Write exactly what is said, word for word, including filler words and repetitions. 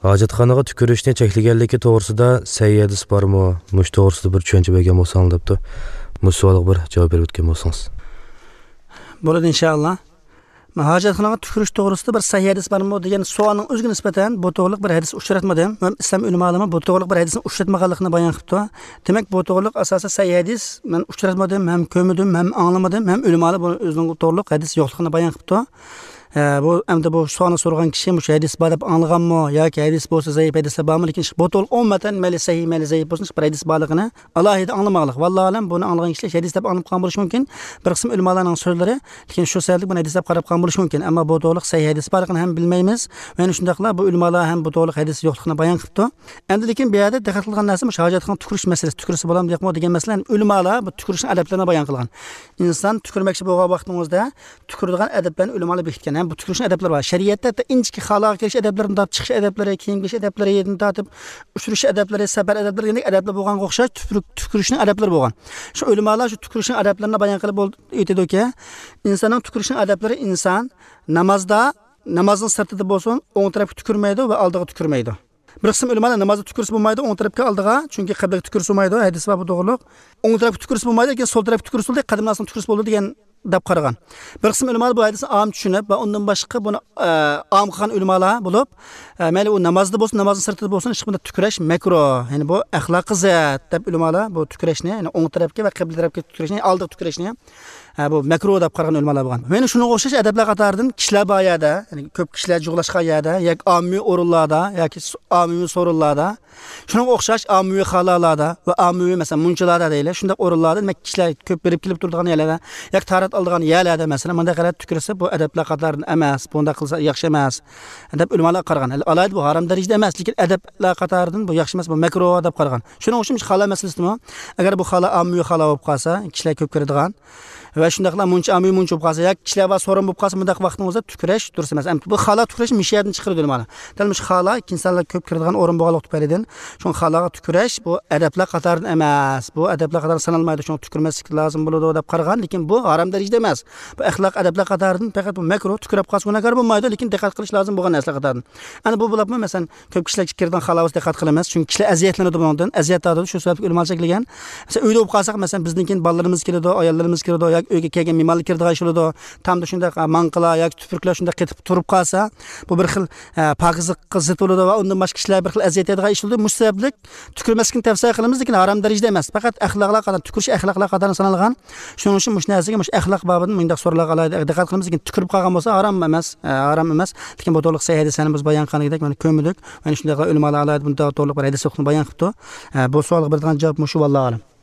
Hojatxonaga tükürüşni cheklaganligi to'g'risida sahih hadis bormi? Mush to'g'risida bir tushuncha bergan bo'lsangiz debdi. Bu savolga bir javob berib o'tgan bo'lsangiz. Bo'ladi inshaalloh. Hojatxonaga tükürüş to'g'risida bir sahih hadis bormi degan savolning o'ziga nisbatan bu to'g'riliq bir hadis uchratmadim. Men islom ulamolari bu to'g'riliq bir hadisni uchratmaganligini bayon qilibdi. Demak, bu to'g'riliq asosan sahih hadis men uchratmadim, ham ko'rmadim, ham anglamadim, ham ulamolar bu o'zining to'g'riliq hadis yo'qligini bayon qilibdi. Bu endi bu savolni so'ragan kishi shu hadis bor deb anglaganmi yoki hadis bo'lsa zaif hadislar bormi, lekin bu to'liq umuman mayli sahih mayli zaif bo'lsin bir hadis borligini alohida anglamaqlik. Vallohu alam, buni anglagan kishilar hadis deb anglab qolgan bo'lishi mumkin. Bir qism ulamolarning so'zlari, lekin shu sababli buni hadis deb qarab qolgan bo'lishi mumkin. Ammo bu to'liq sahih hadis borligini ham bilmaymiz. Mana shundaqla bu ulamolar ham bu to'liq hadis yo'qligini bayon qilibdi. Endi lekin bu yerda diqqat qilgan narsa shu hojatxona tukurish masalasi, tukursa bo'ladimi yo'qmi degan masala. Ulamolar bu tukurishning adablarini bayon qilgan. Inson tukurmoqchi bo'lgan vaqtingizda tukuradigan adablarni ulamolar bekitgan. Ham bu tukurishning adablari bor. Shariatda inchki xaloq kirish adablarini tortib, chiqish adablari, kiyim kiyish adablari, yerdan tortib, uchirish adablari, safar adablari, degan adablar bo'lganga o'xshash tukurishning adablari bo'lgan. Shu ulamolar shu tukurishning adablarini bayon qilib aytadiki, insonning tukurishning adablari inson namozda, namozning sirtida bo'lsin, o'ng tarafga tukurmaydi va oldiga tukurmaydi. Bir qism ulamolar namozda tukursa bo'lmaydi, o'ng tarafga oldiga, chunki qiblaga tukursa bo'lmaydi, hadis bor bu to'g'riliq. O'ng tarafga tukursa bo'lmaydi, lekin so'l tarafga tukursa bo'ladi, qadamdan so'ng tukursa bo'ladi degan deb qaragan. Bir qism ulamolar bu hadisni om tushunib va undan boshqa buni om qilgan ulamolar bo'lib, mayli u namozda bo'lsin, namozning sirtida bo'lsin, hech qanday tukurash makruh, ya'ni bu axloqi zid deb ulamolar bu tukurashni, ya'ni o'ng tarafga va qibla tarafga tukurashni, oldiga tukurashni bu makruh deb qaragan ulamolar bo'lgan. Mana shunga o'xshash adablar qatoridan kishilar bor yerda, ya'ni ko'p kishilar jug'lashgan yerda, yoki ommaviy o'rinlarda yoki ommaviy so'rinlarda, shunga o'xshash ommaviy xalolarda va ommaviy masalan munchalarda deylik, shunday o'rinlarda demak kishilar ko'p berib kelib turadigan yerlarda yoki tarat oladigan yerlarda masalan bunday qarab tukursa bu adablar qatoridan emas, bunday qilsa yaxshi emas deb ulamolar qaragan. Alohida bu harom darajada emas, lekin adablar qatoridan bu yaxshi emas, bu makruh deb qaragan. Shuning uchun xalo masalasimi, agar bu xalo ommaviy xalo bo'lib qolsa, kishilar ko'p kiradigan va shundaqla muncha ommaviy muncha bo'lib qolsa yoki kishilar va so'rin bo'lib qolsa, bundaq vaqtingizda tukurash durust emas. Bu xalo tukurash mishiyadan chiqaradi mana. Dal mush xalo insonlar ko'p kiradigan o'rin bo'lganligi tufaylidan shu xaloga tukurash bu adablar qatoridan emas, bu adablar qatori sanalmaydi, shuni tukurmaslik lozim bo'ladi deb qaragan, lekin bu harom darajada emas. Bu axloq adablar qatoridan faqat bu makruh, tukurab qolsa gunohkor bo'lmaydi, lekin diqqat qilish lozim bo'lgan narsalar qatoridan. Ana bu bo'libmi, masalan, ko'p kishilar kiradigan xaloga diqqat qilamiz, chunki kishilar aziyatlanadi bundan, aziyat tortadi, shu sababli ulamolar cheklagan. Masalan, uyda bo'lib qolsak, masalan, bizdan keyin bolalarimiz keladi, ayollarimiz keladi, yoki uyga kelgan mehmonlar kiradigan ish bo'ladi, tamda shunday manqalar yoki tupurklar shunday qetib turib qolsa, bu bir xil pokizlikqa zid bo'ladi va undan boshqa kishilar bir xil aziyat yetadigan ish bo'ladi. Mush sababli tukurmaslikni tavsiya qilamiz, lekin harom darajada emas. Faqat axloqlar qatori tukurish axloqlar qatori sanalgan. Shuning uchun mush narsaga mush axloq bobidan bunday so'ralarga alohida diqqat qilamiz, lekin tukurib qolgan bo'lsa harom emas, harom emas. Lekin bu to'liq sahih hadisni biz bayon qilgandik, mana ko'mdik. Mana shunday ulamolar alohida bunday to'liq bir hadis bayon qilibdi. Bu savolga beradigan javob mushu, vallohu alam.